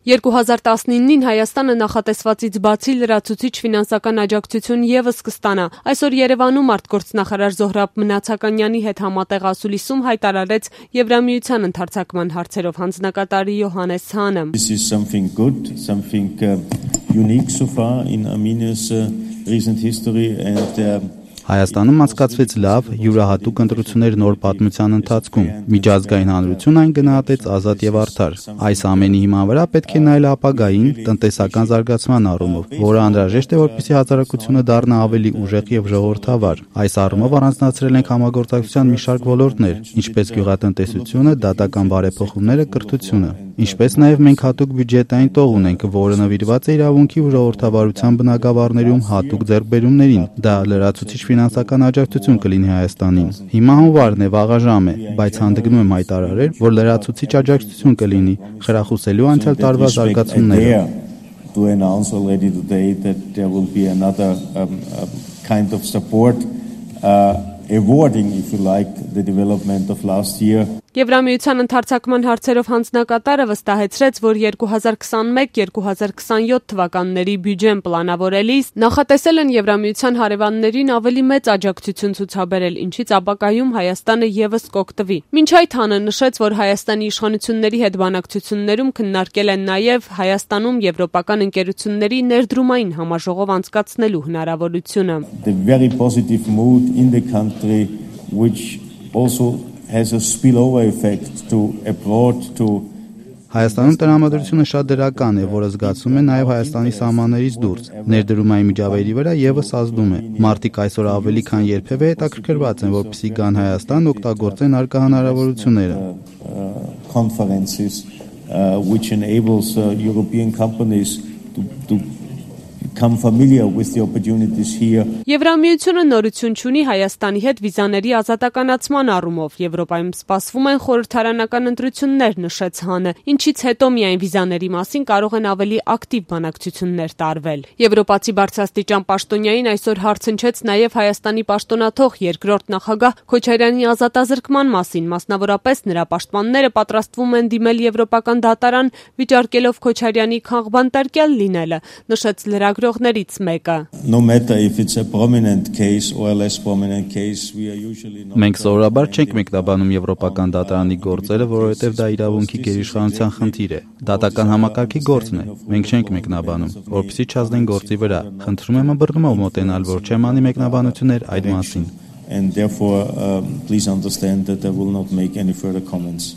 2019-ին Հայաստանը նախատեսվածից բացի լրացուցիչ ֆինանսական աջակցություն ևս կստանա։ Այսօր Երևանում արտգործնախարար Զոհրաբ Մնացականյանի հետ համատեղ ասուլիսում հայտարարեց Եվրամիության ընդարձակման հարցերով հանձնակատար Յոհաննես Հանը։ This is something good, something unique so far in Armenia's recent history and Հայաստանում անցկացվեց լավ, յուրահատուկ ընտրություններ նոր պատմության ընթացքում։ Միջազգային հանրությունն այն գնահատեց ազատ եւ արդար։ Այս ամենի հիման վրա պետք է նայել ապագային տնտեսական զարգացման առումով, որը անհրաժեշտ է, որպեսզի հասարակությունը դառնա ավելի ուժեղ եւ ժողովրդավար։ Այս առումով առանձնացրել ենք համագործակցության մի շարք ոլորտներ, ինչպես գյուղատնտեսությունը, դատական բարեփոխումները, կրթությունը։ Ինչպես նաև մենք հատուկ բյուջետային տող ունենք, որը նվիրված է իրավունքի ու ժողովրդավարության բնագավառներում հատուկ ձեռքբերումներին։ Դա լրացուցիչ ֆինանսական աջակցություն կլինի Հայաստանին։ Հիմա հունվարն է, վաղաժամ է, բայց հանդգնում եմ հայտարարել, որ լրացուցիչ աջակցություն կլինի, խրախուսելու անցյալ տարվա զարգացումները։ To announce already today that there will be another kind of support awarding, if you like, the development of last year. Եվրամիության ընդարձակման հարցերով հանձնակատարը վստահեցրեց, որ 2021-2027 թվականների բյուջեն պլանավորելիս նախատեսել են Եվրամիության հարևաններին ավելի մեծ աջակցություն ցուցաբերել, ինչից ապագայում Հայաստանը ևս կօգտվի։ Մինչ այդ Հանը նշեց, որ Հայաստանի իշխանությունների հետ բանակցություններում քննարկել են նաև Հայաստանում եվրոպական ընկերությունների ներդրումային համաժողով անցկացնելու հնարավորությունը։ The very positive mood in the country, which also has a spillover effect to abroad to Հայաստանում տրամադրությունը շատ դրական է, որը զգացում է նաև Հայաստանի սահմաններից դուրս։ Ներդրումային միջավայրի վրա ևս ազդում է։ Մարդիկ այսօր ավելի քան երբևէ հետաքրքրված են, որպեսզի գան Հայաստան օգտագործեն արկա հնարավորությունները։ Conferences which enables European companies to become familiar with the opportunities here. Եվրամիությունը նորություն չունի Հայաստանի հետ վիզաների ազատականացման առումով։ Եվրոպայում սպասվում են խորհրդարանական ընտրություններ, նշեց Հանը, ինչից հետո միայն վիզաների մասին կարող են ավելի ակտիվ բանակցություններ տարվել։ Եվրոպացի բարձրաստիճան պաշտոնյային այսօր հարց հնչեց նաև Հայաստանի պաշտոնաթող երկրորդ նախագահ Քոչարյանի ազատազրկման մասին, մասնավորապես նրա պաշտպանները պատրաստվում են դիմել Եվրոպական դատարան, վիճարկելով Քոչարյանի քաղբանտարկյալ լինելը, նշեց լրագրողներից մեկը։ No matter if it's a prominent case or a less prominent case, we are usually not. Մենք սովորաբար չենք մեկնաբանում Եվրոպական դատարանի գործերը, որովհետև դա իրավունքի գերիշխանության խնդիր է։ Դատական համակարգի գործն է։ Մենք չենք մեկնաբանում, որպեսզի չազդեն գործի վրա։ Խնդրում եմ ըմբռնումով մոտենալ, որ չեմ անի մեկնաբանություններ այդ մասին։ And therefore, please understand that I will not make any further comments.